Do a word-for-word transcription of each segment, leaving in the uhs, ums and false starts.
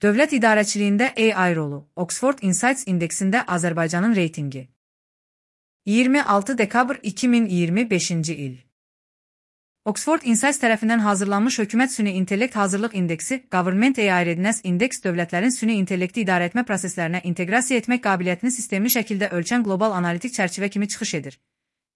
Dövlət idarəçiliyində A I rolu, Oxford Insights indeksində Azərbaycanın reytingi. iyirmi altı dekabr iki min iyirmi beşinci il. Oxford Insights tərəfindən hazırlanmış Hökumət Süni İntellekt Hazırlıq İndeksi, Government A I Readiness Index dövlətlərin süni intellekti idarə etmə proseslərinə inteqrasiya etmək qabiliyyətini sistemli şəkildə ölçən qlobal analitik çərçivə kimi çıxış edir.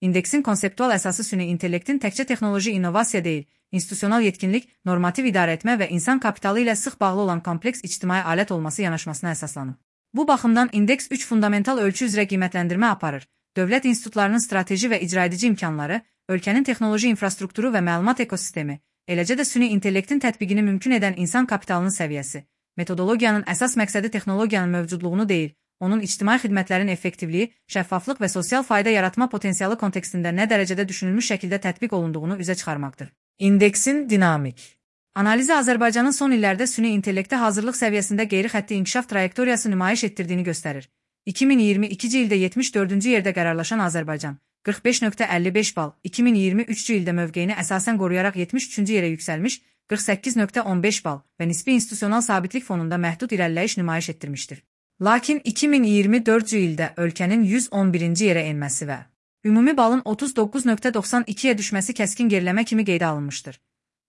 İndeksin konseptual əsası süni intellektin təkcə texnoloji innovasiya deyil, institusional yetkinlik, normativ idarə etmə və insan kapitalı ilə sıx bağlı olan kompleks ictimai alət olması yanaşmasına əsaslanır. Bu baxımdan indeks üç fundamental ölçü üzrə qiymətləndirmə aparır. Dövlət institutlarının strateji və icraedici imkanları, ölkənin texnoloji infrastrukturu və məlumat ekosistemi, eləcə də süni intellektin tətbiqini mümkün edən insan kapitalının səviyyəsi. Metodologiyanın əsas məqsədi texnologiyanın mövcudluğunu deyil, onun ictimai xidmətlərin effektivliyi, şəffaflıq və sosial fayda yaratma potensialı kontekstində nə dərəcədə düşünülmüş şəkildə tətbiq olunduğunu üzə çıxarmaqdır. İndeksin dinamik analizi Azərbaycanın son illərdə süni intellektə hazırlıq səviyyəsində qeyri-xətti inkişaf trayektoriyası nümayiş etdirdiyini göstərir. iki min iyirmi ikinci ildə yetmiş dördüncü yerdə qərarlaşan Azərbaycan, qırx beş nöqtə əlli beş bal, iki min iyirmi üçüncü ildə mövqeyini əsasən qoruyaraq yetmiş üçüncü yerə yüksəlmiş, qırx səkkiz nöqtə on beş bal və nisbi institusional sabitlik fonunda məhdud irəliləyiş nümayiş etdirmişdir. Lakin iki min iyirmi dördüncü ildə ölkənin yüz on birinci yerə enməsi və ümumi balın otuz doqquz nöqtə doxsan ikiyə düşməsi kəskin geriləmə kimi qeydə alınmışdır.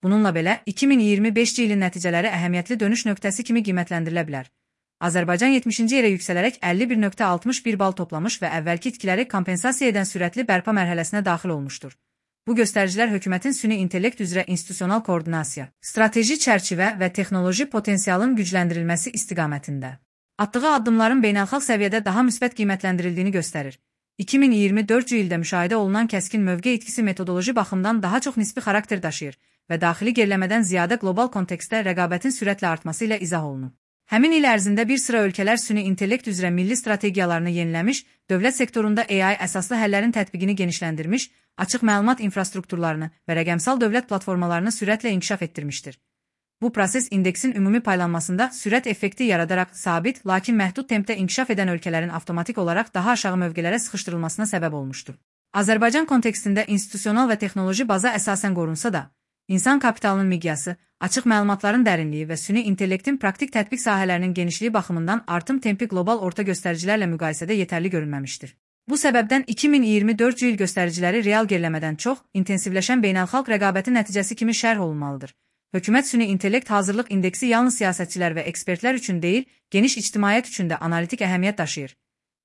Bununla belə, iki min iyirmi beşinci ilin nəticələri əhəmiyyətli dönüş nöqtəsi kimi qiymətləndirilə bilər. Azərbaycan yetmişinci yerə yüksələrək əlli bir nöqtə altmış bir bal toplamış və əvvəlki itkiləri kompensasiya edən sürətli bərpa mərhələsinə daxil olmuşdur. Bu göstəricilər hökumətin süni intellekt üzrə institusional koordinasiya, strateji çərçivə və texnoloji potensialın gücləndirilməsi istiqamətində atdığı addımların beynəlxalq səviyyədə daha müsbət qiymətləndirildiyini göstərir. iki min iyirmi dördüncü ildə müşahidə olunan kəskin mövqe itkisi metodoloji baxımdan daha çox nisbi xarakter daşıyır və daxili geriləmədən ziyadə qlobal kontekstdə rəqabətin sürətlə artması ilə izah olunur. Həmin il ərzində bir sıra ölkələr süni intellekt üzrə milli strategiyalarını yeniləmiş, dövlət sektorunda A I əsaslı həllərin tətbiqini genişləndirmiş, açıq məlumat infrastrukturlarını və rəqəmsal dövlət platformalarını sürətlə inkişaf etdirmişdir. Bu proses indeksin ümumi paylanmasında sürət effekti yaradaraq sabit, lakin məhdud tempdə inkişaf edən ölkələrin avtomatik olaraq daha aşağı mövqelərə sıxışdırılmasına səbəb olmuşdur. Azərbaycan kontekstində institusional və texnoloji baza əsasən qorunsa da, insan kapitalının miqyası, açıq məlumatların dərinliyi və süni intellektin praktik tətbiq sahələrinin genişliyi baxımından artım tempi qlobal orta göstəricilərlə müqayisədə yetərli görünməmişdir. Bu səbəbdən iki min iyirmi dördüncü il göstəriciləri real geriləmədən çox, intensivləşən beynəlxalq rəqabətin nəticəsi kimi şərh olunmalıdır. Hökumət süni intellekt hazırlıq indeksi yalnız siyasətçilər və ekspertlər üçün deyil, geniş ictimaiyyət üçün də analitik əhəmiyyət daşıyır.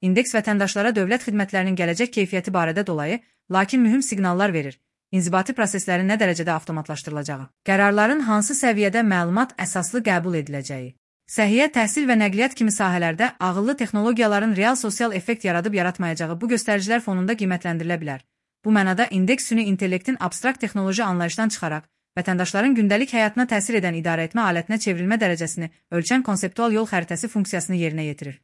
İndeks vətəndaşlara dövlət xidmətlərinin gələcək keyfiyyəti barədə dolayı, lakin mühüm siqnallar verir. İnzibati proseslərin nə dərəcədə avtomatlaşdırılacağı, qərarların hansı səviyyədə məlumat əsaslı qəbul ediləcəyi, səhiyyə, təhsil və nəqliyyat kimi sahələrdə ağıllı texnologiyaların real sosial effekt yaradıb yaratmayacağı bu göstəricilər fonunda qiymətləndirilə bilər. Bu mənada indeks süni intellektin abstrakt texnoloji anlayışdan çıxaraq, vətəndaşların gündəlik həyatına təsir edən idarəetmə alətinə çevrilmə dərəcəsini ölçən konseptual yol xəritəsi funksiyasını yerinə yetirir.